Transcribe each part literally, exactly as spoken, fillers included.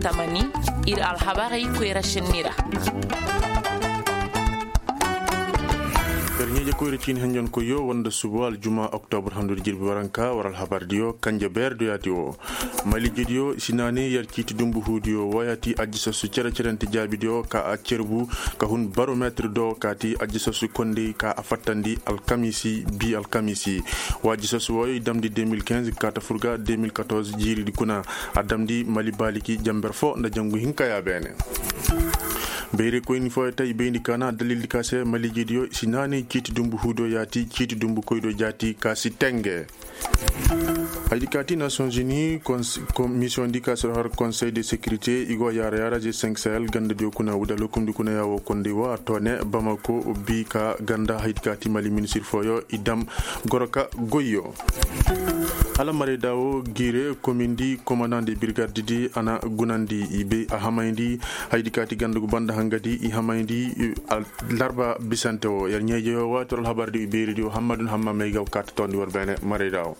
Tamani, ir alhabarey koyra šenni ra. Yer ɲeeje koyra ciini henjonkoyyo wanda suba aljuma oktobr handudi jirbi waranka war alhabardiyo kanje beerdiyo yaati wo. Malijediyo si naani yer ciiti dumbu huudiyo wo yaati ajjasasu cere-cerente jaabidiyo ka a cerbu ka hun barometir do kaati ajjasasu kondey ka a fattandi alkamiisi bi alkamiisi. Wa ajjasasu wooyo i damndi deux mille quinze kaata fur ga deux mille quatorze jiiridi kuna. A damndi mali baaliki jamber fo nda jangu hinka ya beene. Bayray koyni fooyo ta i bayndi kaana dalildi ka se maliijediyo si naani ciiti dumbu huudiyo yaati ciiti dumbu koydiyo jaati ka si tenge. Haydi kaati nations unis misiyoŋ di ka si har konsey de sécurité i go yaara yaara g cinq sahel gandadiyo kuna wudal hukumdi kuna yaawo kondey wo a toone bamako bi ka ganda haydi kaati mali ministir fooyo i dam goro ka goyyo. Hala marayda wo giire komindi komandant de birgardidi a na gunandi i bay a hamayndi. Haydi kaati ganda gu banda hangadi i hamayndi. Larba bisante wo yer ɲeejeyo waati war alhabardi i beeridiyo hammadun hamma may ga kaata toondi war beene marayda wo.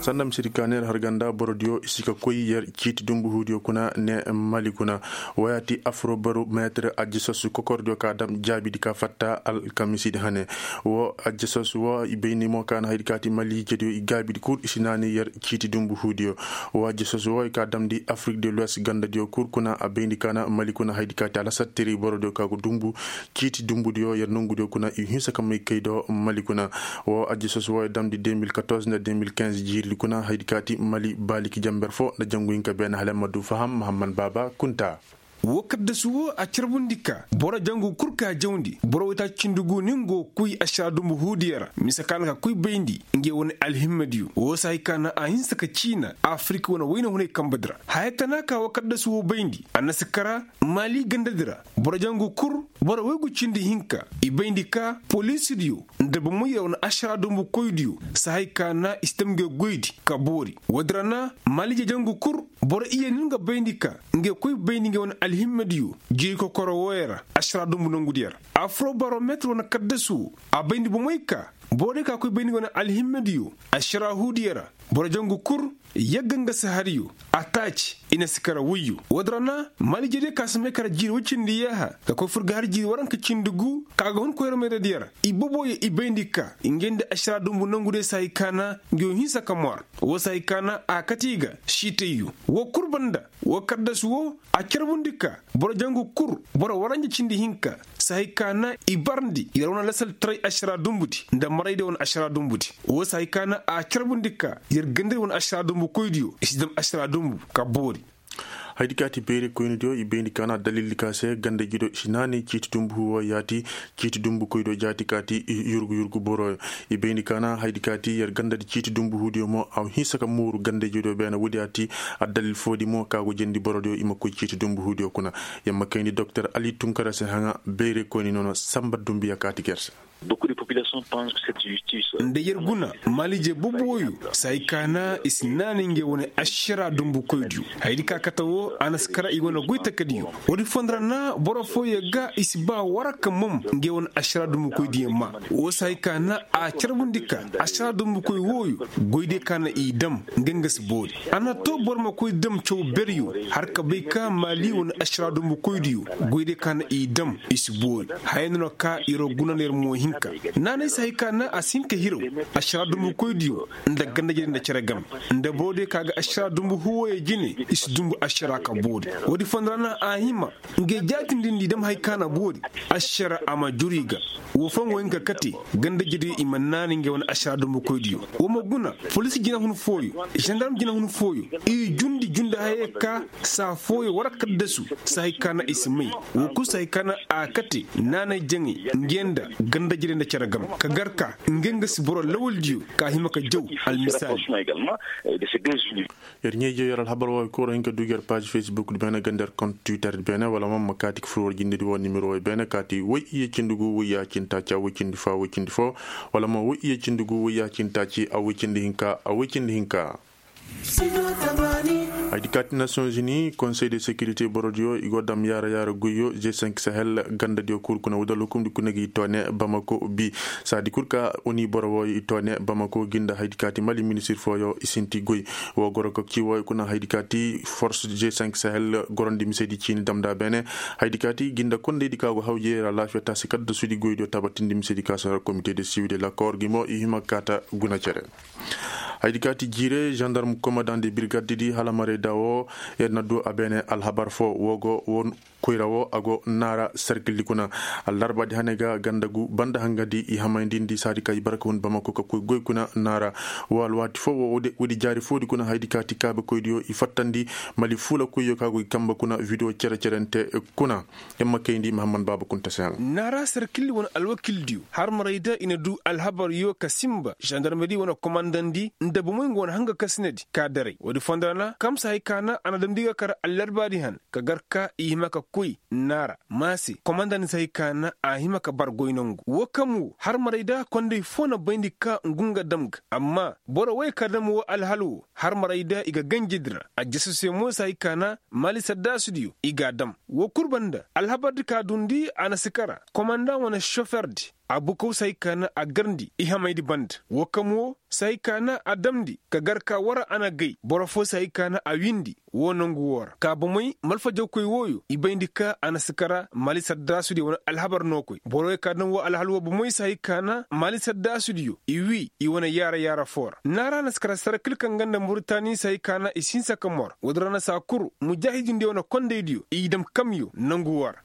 Sanda misedi ka neera har ganda borodiyo i si ka koy yer ciiti dumbu huudiyo kuna ne mali kuna. Woyaati afro barometir ajjasasu kokordiyo ka dam jaabidi ka fatta alkamisidi hane. Wo ajjasasu wo i bayndi mo ka na haydi kaati mali jediyo i gaabidi kul i si naani yer ciiti dumbu huudiyo. Wo ajjasasu wo i ka damndi afrik de luwes gandadiyo kul kuna a bayndi ka na mali kuna haydi kaati alasattiri borodiyo ka go dumbu ciiti dumbudiyo yer nongudiyo kuna i hinsa ka may kay do mali kuna. Wo ajjasasu wo i damndi deux mille quatorze nda deux mille quinze jiiridi kuna haydi kaati mali baaliki jamber fo nda jangu hinka beene hala ma du faham mahamman baaba kunta. Wo kaddasu wo a carbundi ka boro jangu kul ka jawndi boro waytaaci cindi gu ni ngo kuy ašara dumbu huudiyo ra mise ka na ka kuy bayndi nge wane alhimmadiyo wo si hay ka na a hinsa ka ciina afirika wane wayna hunay kambadi ra haya tana ka wo kaddasu wo bayndi a na si kara maali gandadi ra boro jangu kul boro waygu cindi hinka i bayndi ka poliisidiyo nda bomoyra wane ašara dumbu koydiyo si hay ka na i si dam nge goydi ka boori woodi ra na maali jejangu kul boro iye ni nga bayndi ka nge koy bayndi nge wane alhimmadiyo jiiri kokoro wooyo ra ašara dumbu nongudiyo ra afrobarometir wane kaddasu wo a bayndi bomoy ka borodiyo ka koy bayndi nge wane alhimmadiyo ašara huudiyo ra boro jangu kul yagga nga si hariyo a taaci i na si kara woyyo woodi ra na maali jeediyo ka si may kara jiiri woy cindi yaaha ka koy fur ga har jiiri waranka cindi gu ka ga hun koyra mayradiyo ra i boboyo i bayndi ka nge nda ašara dumbu nongudiyo si hay ka na nge wo hinsa ka moor wo si hay ka na a kate i ga siitayyo wo kul banda wo kaddasu wo a carbundi ka boro jangu kul boro waranja cindi hinka si hay ka na i barndi yer wane lasaltaray ašara dumbudi nda maraydiyo wane ašara dumbudi wo si hay ka na a carbundi ka yer gandadi wane ašara dumbu koydiyo i si dam ašara dumbu ka boori. Haydi kaati beeri koynidiyo i bayndi ka na dalildi ka se gandadiyo i si naani ciiti dumbu huuwo yaati ciiti dumbu koydiyo jaati kaati yurgu yurgu boroyo i bayndi ka na haydi kaati yer gandadi ciiti dumbu huudiyo mo a hinsa ka mooru gandadiyo beene woodi yaati addalil foodi mo ka go jendi borodiyo i ma koy ciiti dumbu huudiyo kuna. Yer ma kayndi doktor ali tunkara se haŋa beeri koyni nono samba dumbiya kaati ger se. Nda yer guna maaliije boboyo si hay ka na i si naani ngey wane ašara dumbu koydiyo hayadi ka kate wo a na si kara i wane goy takadiyo woodi fondo ra na boro fooyo ga i si ba waraka mom ngey wane ašara dumbu koydiyo ma wo si hay ka na a carbundi ka ašara dumbu koy wooyo goydiyo ka na i dam nga nga si boori a na to boro ma koy dam caw beryo har ka bay ka maali wane ašara dumbu koydiyo goydiyo ka na i dam i si boori haya no na ka yer guna no yer mo hinka naanay si hay ka na a si hin ka hiraw ašara dumbu koydiyo nda gandajediyo nda cere game nda borodiyo ka ga ašara dumbu huwoyo jine i si dumbu ašara ka boori woodi fondo ra na a hima ngey jaatindi nda i dam hay ka na boori ašara a ma juru i ga wo foo nga wo hin ka kate gandajediyo i ma naani ngey wane ašara dumbu koydiyo wo ma guna poliisi jinahun fooyo zandarm jinahun fooyo i jundi jundi hayey ka saa fooyo war kaddasu si hay ka na i si may wo kul si hay ka na a kate naanay jaŋay ngey nda gandajediyo nda cere game ka gar ka ngey nga si boro lawaldiyo ka hima ka jaw almisaali. Yer ɲeejiyo yer alhabar wooyo kul war hin ka du gi yer paaz fesbukdi beene ganda yer kont twitterdi beene wala mo ma kaati ka fur war jindedi woo nimero wooyo beene kaati woy iyye cindi gu woy yaacinta ca woy cindi fa woy cindi fo wala mo woy iyye cindi gu woy yaacinta ci a woy cindi hinka a woy cindi hinka. Haydi kaati nasiyonzini konsey de sekirite borodiyo i go dam yaara yaara goyyo g cinq sahel gandadiyo kul kuna wudal hukumdi kuna gi toone bamako bi. Saadi kul ka oni boro wooyo i toone bamako ginda haydi kaati mali ministir fooyo i sinti goy. Woo goro ka ci wooyo kuna haydi kaati fors g cinq sahel gorondi misedi ciini damda beene. Haydi kaati ginda kondeydi ka go hawjey ra laafiya taasi kaddasudi goydiyo tabatindi misedi ka sara komite de siwil de lakoor gi mo i hima kaata guna cere. Haydi kaati jiire zandarm komandan de birgaddi di hala marayda woo yer na du a beene alhabar foo woo go woo koyra woo a go naara serkildi kuna. Allarbaadi hane ga ganda gu banda hangadi i hamaydindi saadi ka i barka hun bamako ka koy goy kuna naara. Woo alwaati foo woo woodi jaari foodi kuna haydi kaati kaabekoydiyo i fattandi mali fuula koyyo ka go i kamba kuna video cere-cerente kuna. Yer ma kayndi mahammad baaba kunta se haŋ. Naara serkildi wane alwakildiyo har marayda i na du alhabaryo ka sinba zandarmedi wane komandandi nda bomey nga wane hanga kasinadi ka daray woodi fondo ra na kamsa hay ka na a na damndi ga kar allarbaadi han ka gar ka i hima ka koy naara maase komandandi se hay ka na a hima ka bar goy nangu woo kam woo har marayda konday foo na bayndi ka ngu nga dam ga amma boro wey ka dam woo alhal woo har marayda i ga ganjedi ra a jasu se mo se hay ka na maali saddasudiyo i g'a dam. Woo kul banda alhabardi ka dundi a na si kara komandaŋ wane soferdi abukaw se hay ka na a garndi i hamaydi banda woo kam woo se hay ka na a damndi ka gar ka war a na gay boro foo se hay ka na a wiindi woo nangu woo ra ka bomey malfajawkoy wooyo i bayndi ka a na si kara maali saddasudiyo wane alhabar nookoy boro wey ka dam woo alhal woo bomey se hay ka na maali saddasudiyo i wii i wane yaara yaara foo ra naara na si kara sarakil kaŋ ganda muritani se hay ka na i si hinsa ka mor woodi ra na saa kul mujaahidindiyo wane kondaydiyo i dam kamyo nangu woo ra.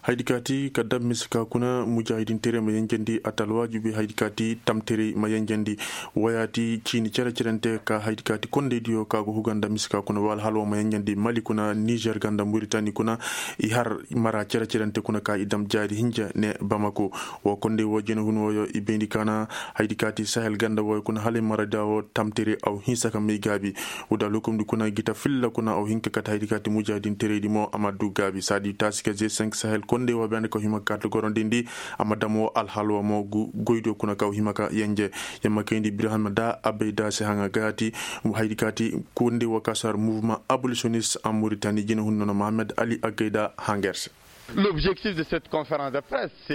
Haydi kaati ka dam mise ka kuna mujaahidinteray ma yenjendi a ta alwaajibi haydi kaati tamteray ma yenjendi. Wayaati ciini cere-cerente ka haydi kaati kondaydiyo ka go huga nda mise ka kuna wala hala woo ma yenjendi mali kuna nizer ganda muritani kuna i har mara cere-cerente kuna ka i dam jaari hinja ne bamako. Woo konday woo jina hun wooyo i bayndi ka na haydi kaati sahel ganda wooyo kuna hala i mara da woo tamtere aw hinsa ka may gaabi. Wudal hukumdi kuna gita filla kuna aw hin ka kate haydi kaati mujaahidinteraydi mo a ma du gaabi saadi taasi ka g cinq sahel konday woo bene ka hima kaati gorondindi a ma dam woo alhal woo mo goydiyo kuna ka hima ka yenje. Yer ma kayndi ibrahima da abayda se haŋa gaati haydi kaati konday woo ka sar mouvement abolitionist en muritani jina hun nono mohammed ali agayda haŋ ga yer se.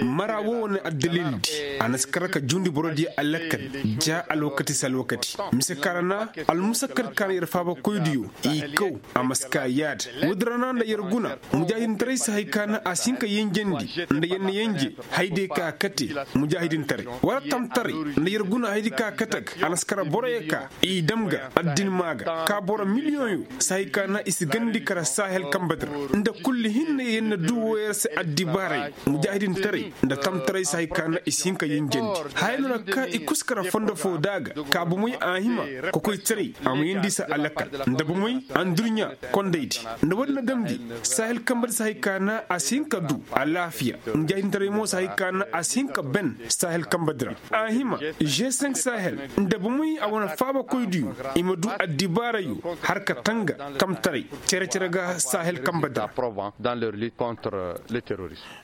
Mara woo wane addalildi a na si kar ka jundi borodiyo alakal ja alwakati se alwakati mise ka ra na almusakkal ka na yer faabakoydiyo i kaw a ma si ka yaada. Woodi ra na nda yer guna mujaahidintaray se hay ka na a si hin ka yenjendi nda yer na yenje haydiyo ka kate mujaahidintaray wala tamtaray nda yer guna haydiyo ka kate ga a na si kar boroyo ka i dam ga addin maa ga ka boro miliyoŋyo se hay ka na i si gandi kara sahel kambadi ra nda kulli hinne yer na du woo yer se addibaaray mujaahidintaray nda tamtaray se hay ka na i si hin ka yinjandi haya no na ka i kusa kara fondo foo da ga ka bomey a hima kokoytaray a ma yeendi i se alakal nda bomey andurɲa kondaydi nda woodi na damndi sahel kambadi se hay ka na a si hin ka du alaafiya mujaahidintaray mo se hay ka na a si hin ka ben sahel kambadi ra a hima g cinq sahel nda bomey a wane faabakoydiyo i ma du addibaarayo har ka tanga tamtaray cere-cere ga sahel kambadi ra.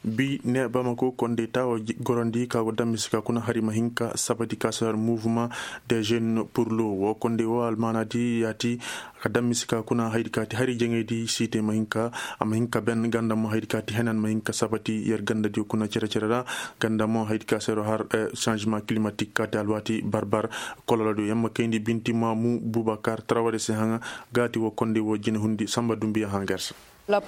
Bi ne bamako konday taawo gorandi ka go dammisi ka kuna hari ma hin ka sabati ka sar mouvement des jeunes pour l'eau woo konday woo almaanaadi yaati ka dammisi ka kuna haydi kaati hari jaŋaydi siite ma hin ka a ma hin ka ben ganda mo haydi kaati henan ma hin ka sabati yer gandadiyo kuna cere-cere ra ganda mo haydi ka sar har changement climatique kaati alwaati barbar kololodiyo yer ma kayndi binti maamu bubakar tarawade se haŋa gaati woo konday woo jine hundi samba dumbiya haŋ ga yer se. Hari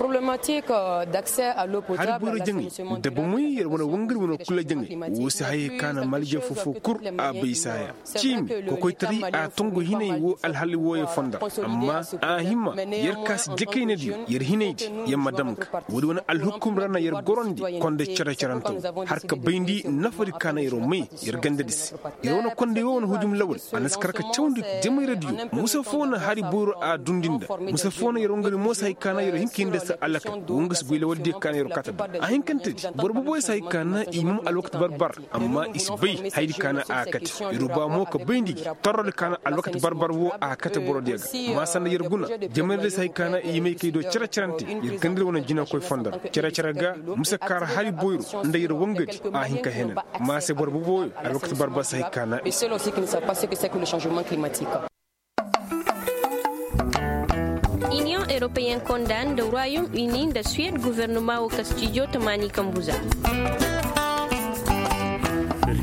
boyro jaŋay nda bomey yer wane wangari wane kula jaŋay woo si hayey ka na malije foo-foo kul a bay saaya ciimi kokoytaray a tongu hinay woo alhali wooyo fondo ra amma a hima yer ka si jakaynadiyo yer hinaydi yer ma dam ga woodi wane alhukum ra na yer gorandi konda cere-cerante woo har ka bayndi nafadi ka na yer may yer gandadi se yer wane konday woo wane hujum lawal a na si kar ka cawndi jamayradiyo musa foo na hari boyro a dundi nda musa foo na yer wangari mo si hay ka na yer hin ka hin da se alakal woo nga si goy lawaldiyo ka na yer kate da a hinkantedi boro boboyo si hay ka na i mum alwakati barbar amma i si bay hayadi ka na a kate yer ba mo ka bayndi gi torrodi ka na alwakati barbar woo a kate borodiyo ga ma sanda yer guna jamayradiyo si hay ka na i may kay do cere-cerante yer gandadi wane jinakoy fondo ra cere-cere ga musa kaara hari boyro nda yer wangadi a hin ka henan ma se boro boboyo alwakati barbar si hay ka na i se. Aussi qui ne savent pas ce que c'est que le changement climatique. Payankonda nda royaume uni nda suwed guvernoma wo ka stijo tamaani kambuza.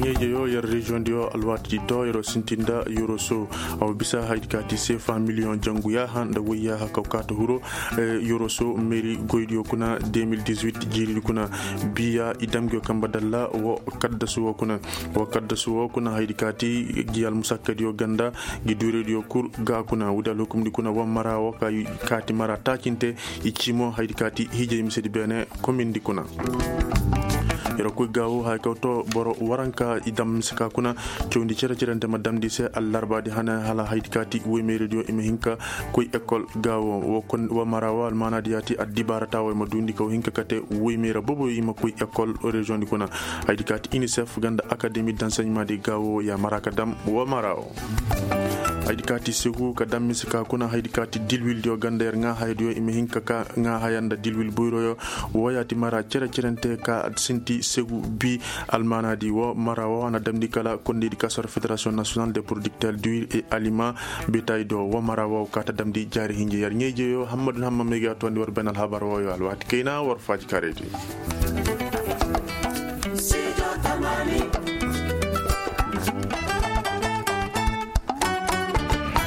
Yer ɲeejeyo yer reziyoŋ diyo alwaati to yeroo sinti nda yeroo so. A wa bisa haydi ka ti seefa miliyoŋ jangu yaaha nda woy yaaha kaw kaata hiro. Yeroo so meeri goydiyo kuna de mil dix-huit jiiridi kuna. Biya i dam ngiyo kamba dalla wo kaddasu wo kuna. Wo kaddasu wo kuna haydi ka ti gi almusakkadiyo ganda. Gi duurediyo kul ga kuna woodi alhukumdi kuna wa mara wo ka kaati mara taacinte. I cii mo haydi ka ti hiijay misedi beene komindi kuna. Yer koy gaawo haya kaw to boro waranka i dam mise ka kuna. Cawndi cere cerente ma damndi se allarbaadi hane hala haydi ka ti woymeerediyo i ma hin ka koy ekol gaawo. Wo mara wo almaanaadi yaati addibaarata wo i ma duundi kaw hin ka kate woymeera boboyo i ma koy ekol reziyoŋdi kuna. Haydi ka ti inisef ganda akademi danseɲemaadi gaawo ya mara ka dam wo mara wo. Haydi ka ti segu ka dam mise ka kuna haydi ka ti dilwildiyo ganda yer ŋaa hayadiyo i ma hin ka ka ŋaa haya nda dilwil boyroyo. Wo yaati mara cere cerente ka sinti segu bi. Almaanaadi wo mara wo a na damndi kala kondeydi ka soro federasiyoŋ nasiyonal de porodikter duwil e alima. Betay do wo mara wo ka ta damndi jaari hinje yer ɲeejeyo hammadu hamma meegi a toondi war ben alhabar woyo alwaati kayna war faaji karaydi.